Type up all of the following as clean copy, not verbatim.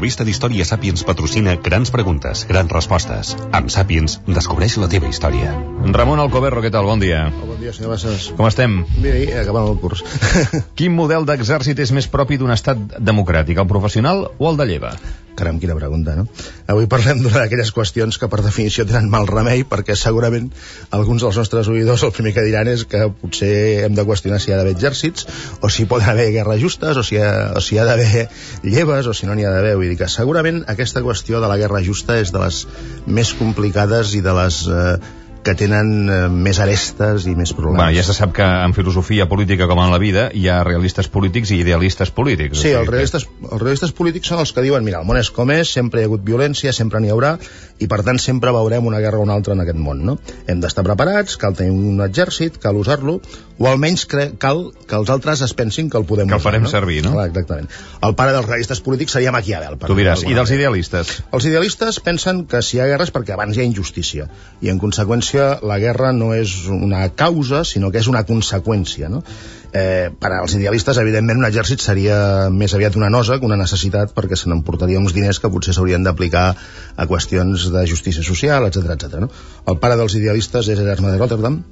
revista d'història Sàpiens patrocina Grans preguntes, grans respostes. Amb Sàpiens, descobreix la teva història. Ramon Alcoberro, què tal? Bon dia. Bon dia, senyor Bassas. Com estem? Bé, acabant el curs. Quin model d'exèrcit és més propi d'un estat democràtic, el professional o el de lleva? Caram, quina pregunta, no? Avui parlem d'una d'aquelles qüestions que per definició tenen mal remei, perquè segurament alguns dels nostres oïdors el primer que diran és que potser hem de qüestionar si hi ha d'haver exèrcits, o si poden haver guerres justes, o si hi ha d'haver lleves, o si no n'hi ha d'haver. Vull dir que segurament aquesta qüestió de la guerra justa és de les més complicades i de les que tenen més arestes i més problemes. Bueno, ja se sap que en filosofia política com en la vida hi ha realistes polítics i idealistes polítics. Sí, els realistes polítics són els que diuen, mira, el món és com és, sempre hi ha hagut violència, sempre n'hi haurà, i per tant sempre veurem una guerra o una altra en aquest món, no? Hem d'estar preparats, cal tenir un exèrcit, cal usar-lo, o almenys cal que els altres es pensin que el podem usar. Que el farem servir, no? Clar, exactament. El pare dels realistes polítics seria Maquiavel. Tu diràs, i dels idealistes? Els idealistes pensen que si hi ha guerres perquè abans hi ha injustícia, i en conseqüència la guerra no és una causa, sinó que és una conseqüència, no? Per als idealistes, evidentment, un exèrcit seria més aviat una nosa que una necessitat, perquè se n'emportaria uns diners que potser s'haurien d'aplicar a qüestions de justícia social, etc., no? El pare dels idealistes és Hermes de Rotterdam,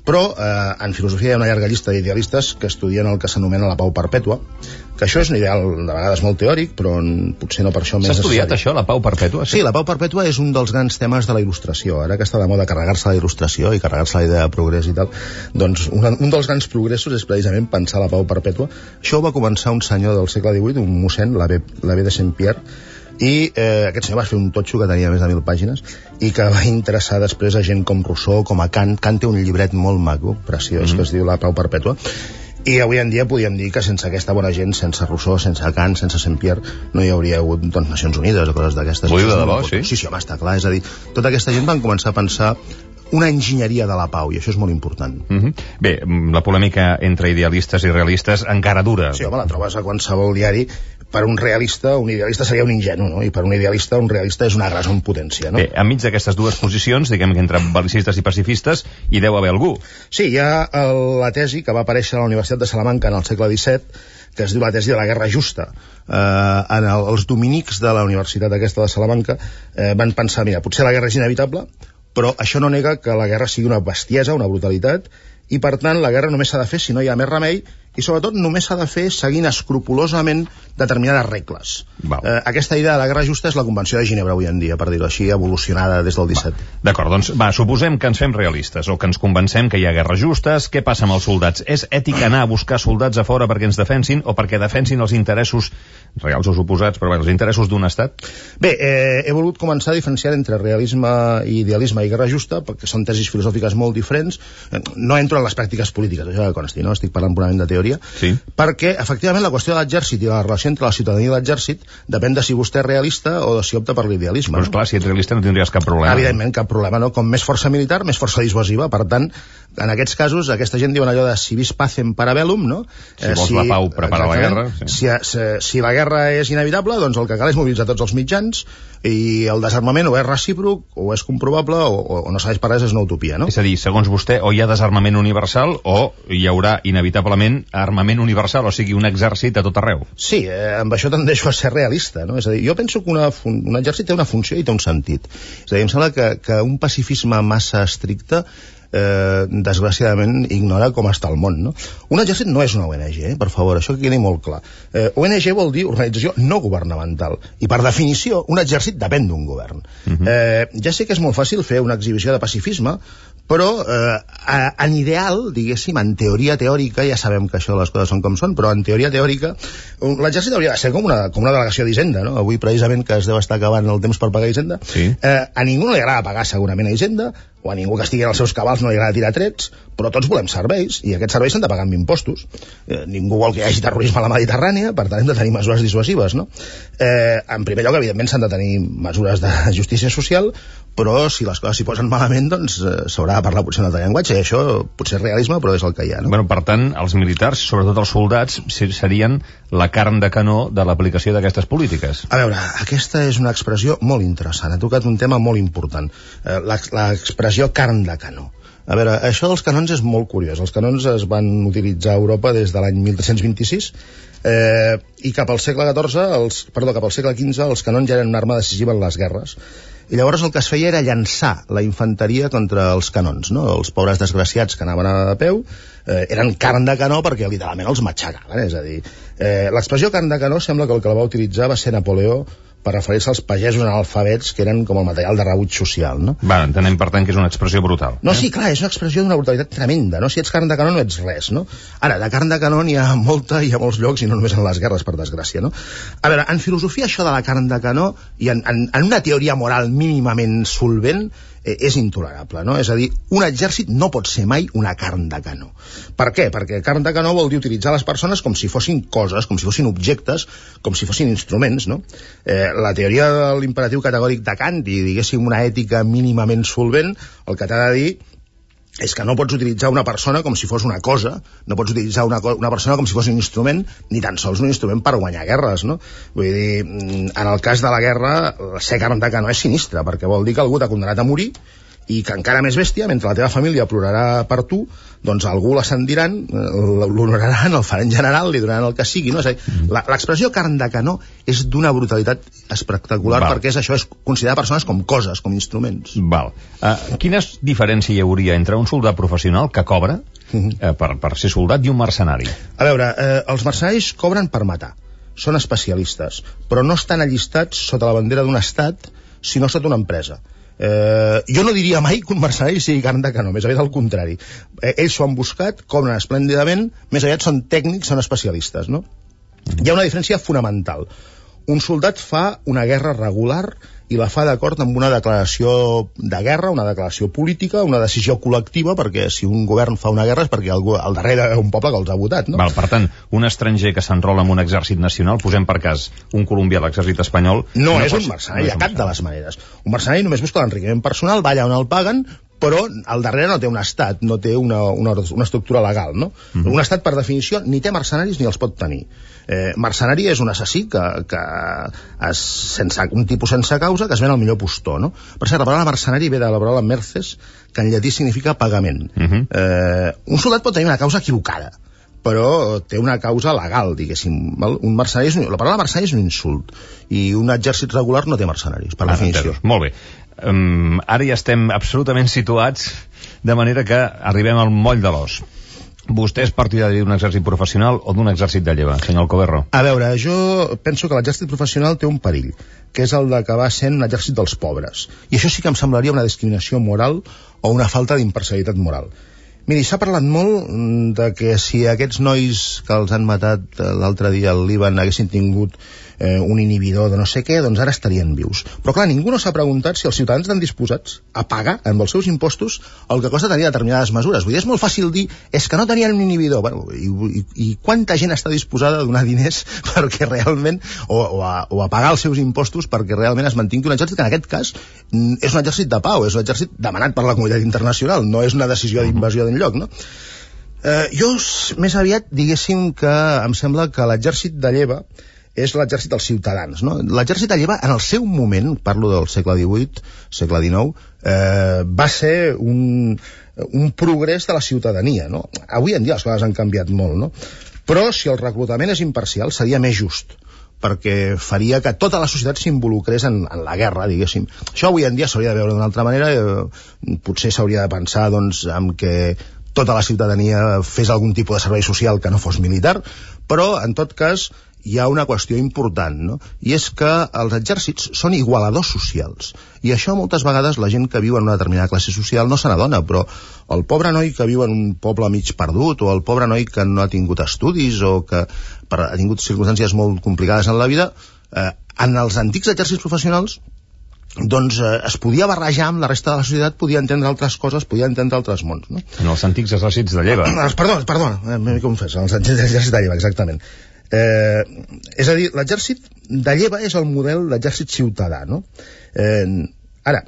però en filosofia hi ha una llarga llista d'idealistes que estudien el que s'anomena la pau perpètua, que això és un ideal de vegades molt teòric, però potser no per això més necessari. S'ha estudiat això, la pau perpètua? Sí, la pau perpètua és un dels grans temes de la il·lustració. Ara que està de moda carregar-se la il·lustració i carregar-se la idea de progrés i tal, doncs un dels grans progressos és precisament pensar la pau perpètua. Això ho va començar un senyor del segle XVIII, un mossèn, l'abbé de Saint-Pierre, i aquest senyor va fer un totxo que tenia més de 1.000 pàgines i que va interessar després a gent com Rousseau, com a Kant. Kant té un llibret molt maco, preciós, que es diu La pau perpètua, i avui en dia podríem dir que sense aquesta bona gent, sense Rousseau, sense Kant, sense Saint-Pierre, no hi hauria hagut Nacions Unides o coses d'aquestes. Ho diu de debò, sí? Sí, home, està clar, és a dir, tota aquesta gent van començar a pensar una enginyeria de la pau, i això és molt important. Bé, la polèmica entre idealistes i realistes encara dura. Sí, home, la trobes a qualsevol diari. Per un realista, un idealista seria un ingenu, no? I per un idealista, un realista és una agressor en potència, no? Bé, enmig d'aquestes dues posicions, diguem que entre bel·licistes i pacifistes, hi deu haver algú. Sí, hi ha la tesi que va aparèixer a la Universitat de Salamanca en el segle XVII, que es diu la tesi de la guerra justa. Els dominics de la Universitat aquesta de Salamanca van pensar, mira, potser la guerra és inevitable, però això no nega que la guerra sigui una bestiesa, una brutalitat, i per tant la guerra només s'ha de fer si no hi ha més remei, i sobretot només s'ha de fer seguint escrupolosament determinades regles. Aquesta idea de la guerra justa és la Convenció de Ginebra avui en dia, per dir-ho així, evolucionada des del 17. D'acord, doncs suposem que ens fem realistes o que ens convencem que hi ha guerres justes. Què passa amb els soldats? És ètic anar a buscar soldats a fora perquè ens defensin o perquè defensin els interessos reals o suposats, però els interessos d'un estat? Bé, he volgut començar a diferenciar entre realisme i idealisme i guerra justa, perquè són tesis filosòfiques molt diferents. No entro en les pràctiques polítiques, això que consti, no? Estic parlant purament de teoria, sí. Perquè efectivament la qüestió de l'exèrcit i la relació entre la ciutadania i l'exèrcit depèn de si vostè és realista o de si opta per l'idealisme. Però esclar, si ets realista no tindries cap problema. Evidentment, cap problema, no? Com més força militar, més força dissuasiva. Per tant, en aquests casos, aquesta gent diuen allò de si vis pacem para bellum, no? Si vols la pau, prepara la guerra. Sí. Si la guerra és inevitable, doncs el que cal és mobilitzar tots els mitjans, i el desarmament o és recíproc, o és comprovable, o no serveix per res, és una utopia, no? És a dir, segons vostè, o hi ha desarmament universal o hi haurà inevitablement armament universal, o sigui, un exèrcit a tot arreu. Sí, amb això tendeixo a ser realista, no? És a dir, jo penso que un exèrcit té una funció i té un sentit. És a dir, em sembla que un pacifisme massa estricte desgraciadament ignora com està el món, no? Un exèrcit no és una ONG, per favor, això que quedi molt clar. ONG vol dir organització no governamental, i per definició un exèrcit depèn d'un govern. Ja sé que és molt fàcil fer una exhibició de pacifisme, però en ideal, diguéssim, en teoria teòrica, ja sabem que això les coses són com són, però en teoria teòrica l'exèrcit hauria de ser com una delegació d'Hisenda, no? Avui precisament que es deu estar acabant el temps per pagar Hisenda, sí. A ningú no li agrada pagar segurament a Hisenda, o a ningú que estigui en els seus cabals no li agrada tirar trets, però tots volem serveis, i aquests serveis s'han de pagar amb impostos. Ningú vol que hi hagi terrorisme a la Mediterrània, per tant hem de tenir mesures dissuasives, no? En primer lloc, evidentment, s'han de tenir mesures de justícia social, però si les coses s'hi posen malament, doncs s'haurà de parlar potser un altre llenguatge, i això potser és realisme, però és el que hi ha, no? Bueno, per tant, els militars, sobretot els soldats, serien la carn de canó de l'aplicació d'aquestes polítiques. A veure, aquesta és una expressió molt interessant, ha tocat un tema molt important, l'expressió carn de canó. A veure, això dels canons és molt curiós. Els canons es van utilitzar a Europa des de l'any 1326 i cap al segle XV els canons ja eren una arma decisiva en les guerres. I llavors el que es feia era llançar la infanteria contra els canons, no? Els pobres desgraciats que anaven a peu eren carn de canó perquè literalment els matxacaven, és a dir, l'expressió carn de canó sembla que el que la va utilitzar va ser Napoleó per referir-se als pagesos analfabets que eren com el material de rebuig social, no? Va, entenem per tant que és una expressió brutal. No, sí, clar, és una expressió d'una brutalitat tremenda, no? Si ets carn de canó no ets res, no? Ara, de carn de canó n'hi ha molta, hi ha molts llocs i no només en les guerres, per desgràcia, no? A veure, en filosofia això de la carn de canó i en una teoria moral mínimament solvent és intolerable, no? És a dir, un exèrcit no pot ser mai una carn de canó. Per què? Perquè carn de canó vol dir utilitzar les persones com si fossin coses, com si fossin objectes, com si fossin instruments, no? La teoria de l'imperatiu categòric de Kant i, diguéssim, una ètica mínimament solvent, el que t'ha de dir és que no pots utilitzar una persona com si fos una cosa, no pots utilitzar una persona com si fos un instrument, ni tan sols un instrument per guanyar guerres, no? Vull dir, en el cas de la guerra, ser carn de canó és sinistre, perquè vol dir que algú t'ha condenat a morir i que encara més bèstia, mentre la teva família plorarà per tu, doncs algú l'ascendiran, l'honoraran, el faran general, li donaran el que sigui, no? És a dir, l'expressió carn de canó és d'una brutalitat espectacular. Val. Perquè és considerar persones com coses, com instruments. Val. Quina diferència hi hauria entre un soldat professional que cobra per ser soldat i un mercenari? A veure, els mercenaris cobren per matar, són especialistes, però no estan allistats sota la bandera d'un estat, sinó sota una empresa. Jo no diria mai que un mercenari sigui carn de canó, més aviat al contrari. Ells s'ho han buscat, cobren esplèndidament, més aviat són tècnics, són especialistes, no? Hi ha una diferència fonamental. Un soldat fa una guerra regular i la fa d'acord amb una declaració de guerra, una declaració política, una decisió col·lectiva, perquè si un govern fa una guerra és perquè al darrere hi ha un poble que els ha votat, no? Val, per tant, un estranger que s'enrola en un exèrcit nacional, posem per cas un colombià a l'exèrcit espanyol... No és un mercenari, de cap de les maneres. Un mercenari només busca l'enriquiment personal, va allà on el paguen, però al darrere no té un estat, no té una estructura legal, no? Un estat, per definició, ni té mercenaris ni els pot tenir. Mercenari és un assassí que sense un tipus sense causa, que es ven al millor postor, no? Per cert, la paraula mercenari ve de la paraula merces, que en llatí significa pagament. Un soldat pot tenir una causa equivocada, però té una causa legal, diguéssim. Un mercenari la paraula mercenari és un insult, i un exèrcit regular no té mercenaris, per definició. Molt bé. Ara ja estem absolutament situats, de manera que arribem al moll de l'os. Vostè és partidari d'un exèrcit professional o d'un exèrcit de lleva, senyor Alcoberro? A veure, jo penso que l'exèrcit professional té un perill, que és el d'acabar sent un exèrcit dels pobres. I això sí que em semblaria una discriminació moral o una falta d'imparcialitat moral. Miri, s'ha parlat molt de que si aquests nois que els han matat l'altre dia al Líban haguessin tingut un inhibidor de no sé què, doncs ara estarien vius. Però clar, ningú no s'ha preguntat si els ciutadans estan disposats a pagar amb els seus impostos el que costa tenir determinades mesures. Vull dir, és molt fàcil dir, és que no tenien un inhibidor. Bueno, i quanta gent està disposada a donar diners perquè realment, o a pagar els seus impostos perquè realment es mantingui un exèrcit que en aquest cas és un exèrcit de pau, és un exèrcit demanat per la comunitat internacional, no és una decisió d'invasió d'enlloc, no? Jo més aviat diguéssim que em sembla que l'exèrcit de lleva és l'exèrcit dels ciutadans, no? L'exèrcit de lleva, en el seu moment, parlo del segle XVIII, segle XIX, va ser un progrés de la ciutadania, no? Avui en dia les coses han canviat molt, no? Però si el reclutament és imparcial seria més just, perquè faria que tota la societat s'involucrés en la guerra, diguéssim. Això avui en dia s'hauria de veure d'una altra manera, potser s'hauria de pensar, doncs, en que tota la ciutadania fes algun tipus de servei social que no fos militar, però, en tot cas, hi ha una qüestió important, no? I és que els exèrcits són igualadors socials, i això moltes vegades la gent que viu en una determinada classe social no se n'adona, però el pobre noi que viu en un poble mig perdut, o el pobre noi que no ha tingut estudis, o que ha tingut circumstàncies molt complicades en la vida, en els antics exèrcits professionals doncs es podia barrejar amb la resta de la societat, podia entendre altres coses, podia entendre altres mons, no? En els antics exèrcits de lleva. Perdona, m'he confès, en els antics exèrcits de lleva, exactament. És a dir, l'exèrcit de lleva és el model d'exèrcit ciutadà, no? Ara,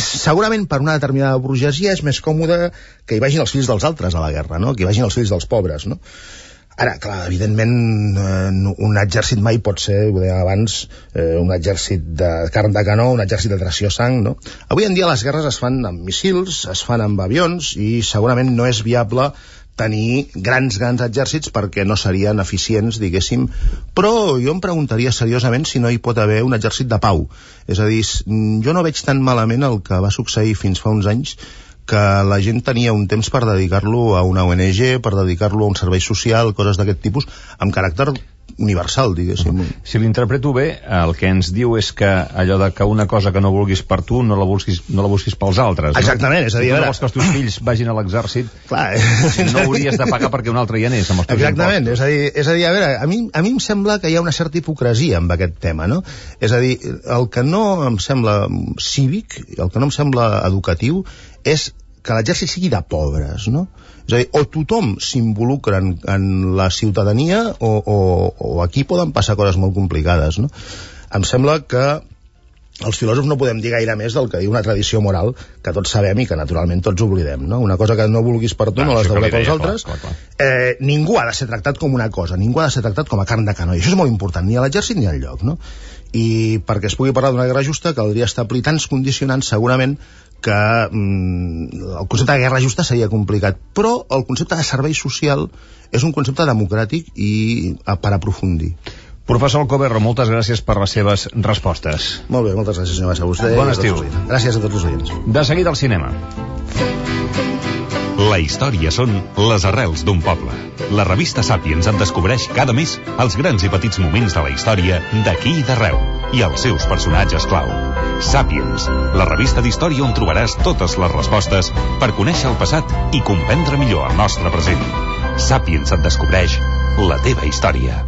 segurament per una determinada burgesia és més còmode que hi vagin els fills dels altres a la guerra, no? Que hi vagin els fills dels pobres, no? Ara, clar, evidentment, un exèrcit mai pot ser, ho deia abans, un exèrcit de carn de canó, un exèrcit de tració sang, no? Avui en dia les guerres es fan amb missils, es fan amb avions, i segurament no és viable tenir grans exèrcits perquè no serien eficients, diguéssim, però jo em preguntaria seriosament si no hi pot haver un exèrcit de pau. És a dir, jo no veig tan malament el que va succeir fins fa uns anys, que la gent tenia un temps per dedicar-lo a una ONG, per dedicar-lo a un servei social, coses d'aquest tipus, amb caràcter universal, diguéssim. Si l'interpreto bé, el que ens diu és que allò de que una cosa que no vulguis per tu no la busquis pels altres, no? Exactament, és a dir... Si tu no vols que els teus fills vagin a l'exèrcit, no hauries de pagar perquè un altre hi anés amb els teus Exactament, impostos. és a dir, a veure, a mi em sembla que hi ha una certa hipocresia amb aquest tema, no? És a dir, el que no em sembla cívic, el que no em sembla educatiu, és que l'exèrcit sigui de pobres, no? És a dir, o tothom s'involucra en la ciutadania o aquí poden passar coses molt complicades, no? Em sembla que els filòsofs no podem dir gaire més del que diu una tradició moral que tots sabem i que naturalment tots oblidem, no? Una cosa que no vulguis per tu no l'has de voler pels altres. Clar. Ningú ha de ser tractat com una cosa, ningú ha de ser tractat com a carn de canó, i això és molt important, ni a l'exèrcit ni al lloc, no? I perquè es pugui parlar d'una guerra justa caldria establir tants condicionants segurament que el concepte de guerra justa seria complicat, però el concepte de servei social és un concepte democràtic i per aprofundir. Professor Alcoberro, moltes gràcies per les seves respostes. Molt bé, moltes gràcies, senyor Bassa. Bon estiu. Gràcies a tots els oients. De seguida al cinema. La història són les arrels d'un poble. La revista Sàpiens en descobreix cada mes els grans i petits moments de la història d'aquí i d'arreu i els seus personatges clau. Sàpiens, la revista d'història on trobaràs totes les respostes per conèixer el passat i comprendre millor el nostre present. Sàpiens et descobreix la teva història.